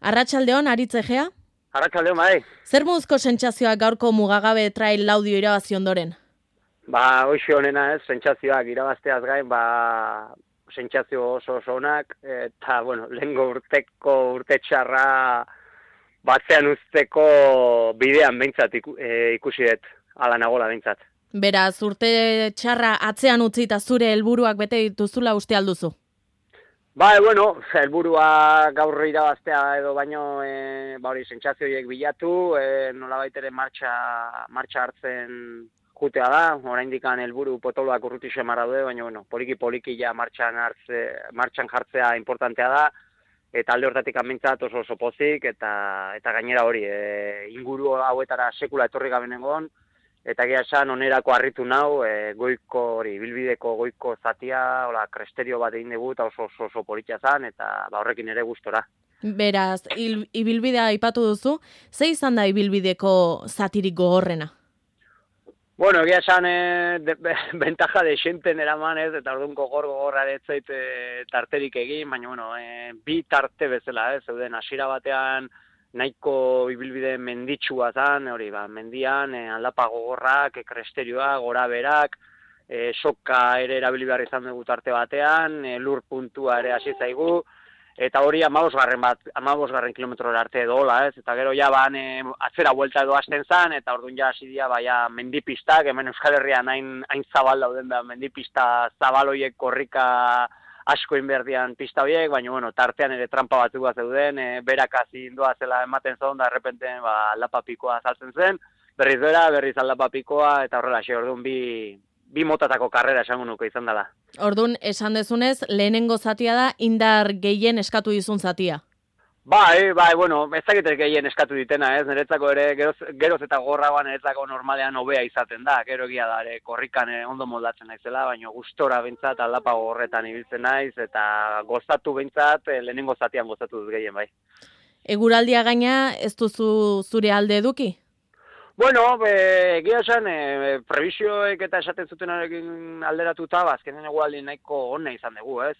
Arratsaldeon, Aritz Egea? Arratsaldeon, bai. Zer moduzko sentsazioak gaurko mugagabe trail laudio irabazi ondoren? Hoxe honena ez, sentsazioak irabazteaz gain, sentsazio oso onak, eta, lehengo urte txarra batzean usteko bidean behintzat ikusi dut, ala nagola behintzat. Beraz, urte txarra atzean utzi eta zure helburuak bete dituzula uste alduzu? Helburua gaur irabaztea edo baino, sentsazioiek bilatu, nolabait ere martxa hartzen jutea da, oraindikan helburu potoloak urruti xemarra du, baina, poliki ja martxan jartzea importantea da, eta alde hortatik amintzat oso pozik, eta gainera hori, inguru hauetara sekula etorri gabe nengon, eta egia esan onerako harritu nau, bilbideko goiko zatia, kresterio bat egin dugu, eta oso politia zan, eta horrekin ere gustora. Beraz, ibilbidea aipatu duzu, ze izan da ibilbideko zatirik gogorrena? Egia esan, bentaja de xenten eraman ez, eta orduan gogorra ez zait tarterik egin, baina, bi tarte bezala ez, zeuden hasiera batean, nahiko ibilbide menditsua zan, mendian, aldapa gogorrak, kresterioa, gora berak, soka ere erabili behar izan dugu tarte batean, lur puntua ere hasi zaigu, eta hori 15 kilometrora arte edo hola, ez? Eta gero ja atzera buelta edo hasten zan, eta orduan ja hasi dira mendipistak, hemen Euskal Herrian hain zabal dauden da mendipista zabaloiek korrika asko inberdian pista horiek, baina, tartean ere trampa batzuk bat zeuden, berakasi indoa zela ematen zon, da errepenten aldapa pikoa saltzen zen, berriz aldapa pikoa, eta horrela, orduan bi motatako karrera esango nuke izan dela. Orduan, esan dezunez, lehenengo zatia da indar gehien eskatu dizun zatia. Ez dakit gehien eskatu ditena, ez, niretzako ere, geroz eta gorragoan niretzako normalean hobea izaten da, gero egia da, korrikan ondo moldatzen naizela, baina gustora behintzat aldapa horretan ibiltzen naiz, eta gozatu behintzat, lehenengo zatian gozatu dut gehien, bai. Eguraldia gaina, ez duzu zure alde eduki? Egia esan, prebisioek eta esaten zutenarekin alderatuta, azkenen egualdi nahiko ona izan dugu, ez?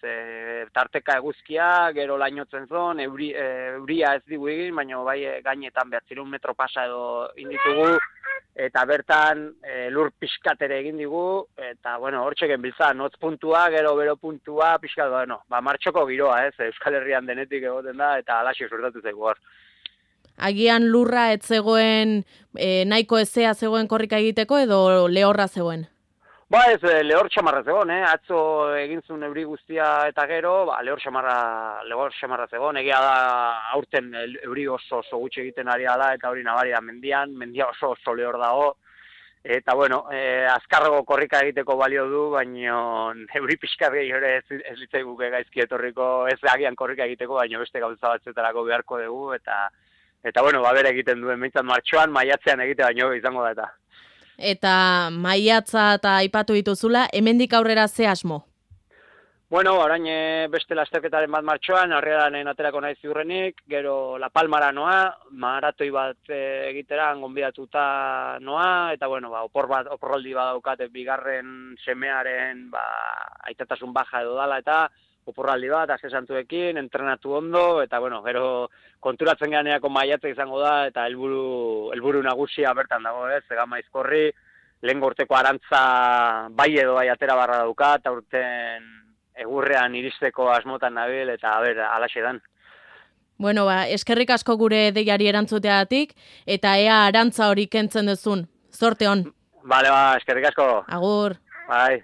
Tarteka eguzkia, gero lainotzen zon, euria ez digu egin, baina bai gainetan 900 metro pasa edo inditugu, eta bertan lur pixkatere egin digu, eta, hortxe genbiltzan, notz puntua, gero bero puntua, pixkat, martxoko giroa, ez? Euskal Herrian denetik egoten da, eta alaxio suertatu zaigu hor. Agian lurra ez zegoen, nahiko ezea zegoen korrika egiteko edo lehorra zegoen? Lehor xamarra zegoen, atzo egin zuen euri guztia eta gero, lehor xamarra zegoen, egia da aurten euri oso gutxi egiten ari da, eta hori nabari da mendia oso lehor dago, eta azkarrago korrika egiteko balio du, baina euri pixkat gehiore ez litzai guke gaizki etorriko, ez agian korrika egiteko, baina beste gauza batzuetarako beharko dugu, eta bere egiten duen, behintzat martxoan, maiatzean egite baino izango da eta. Eta maiatza eta aipatu dituzula, hemendik aurrera ze asmo? Orain beste lasterketaren bat martxoan, Arrialanen aterako naiz ziurrenik, gero La Palmara noa, maratoi bat egitera, gonbidatuta noa, eta oporraldi bat daukate bigarren semearen aitatasun baja edo dala, eta oporraldi bat, azte santuekin, entrenatu ondo, eta gero konturatzen ganeako maiatza izango da, eta helburu nagusia bertan dago, ez, Gama Aizkorri, lehen urteko arantza bai edo bai atera barra dauka, eta urten egurrean iristeko asmotan nabil, eta alaxe dan. Eskerrik asko gure deiari erantzuteagatik, eta ea arantza hori kentzen duzun. Zorte hon. Eskerrik asko. Agur. Bai.